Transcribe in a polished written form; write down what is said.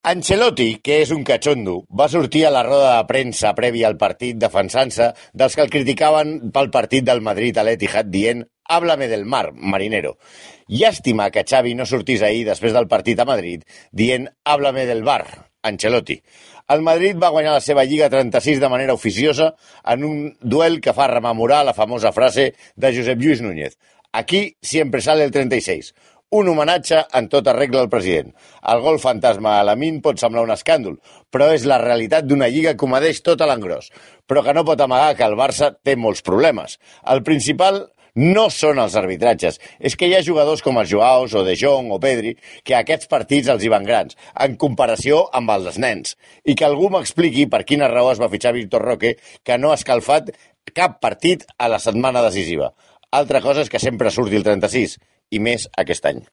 Ancelotti, que és un catxondo, va sortir a la roda de premsa prèvia al partit defensant-se dels que el criticaven pel partit del Madrid a l'Etihad dient «Háblame del mar, marinero». Llàstima que Xavi no sortís ahir després del partit a Madrid dient «Háblame del bar, Ancelotti». El Madrid va guanyar la seva Lliga 36 de manera oficiosa en un duel que fa rememorar la famosa frase de Josep Lluís Núñez. Aquí siempre sale el 36. Un homenatge en tota regla al president. El gol fantasma a Lamine pot semblar un escàndol, però és la realitat d'una lliga que ho medeix tot a l'engròs, però que no pot amagar que el Barça té molts problemes. El principal no són els arbitratges, és que hi ha jugadors com els Joaos o De Jong o Pedri que a aquests partits els hi van grans, en comparació amb els nens, i que algú m'expliqui per quina raó es va fitxar Víctor Roque, que no ha escalfat cap partit a la setmana decisiva. Altra cosa és que sempre surti el 36, i més aquest any.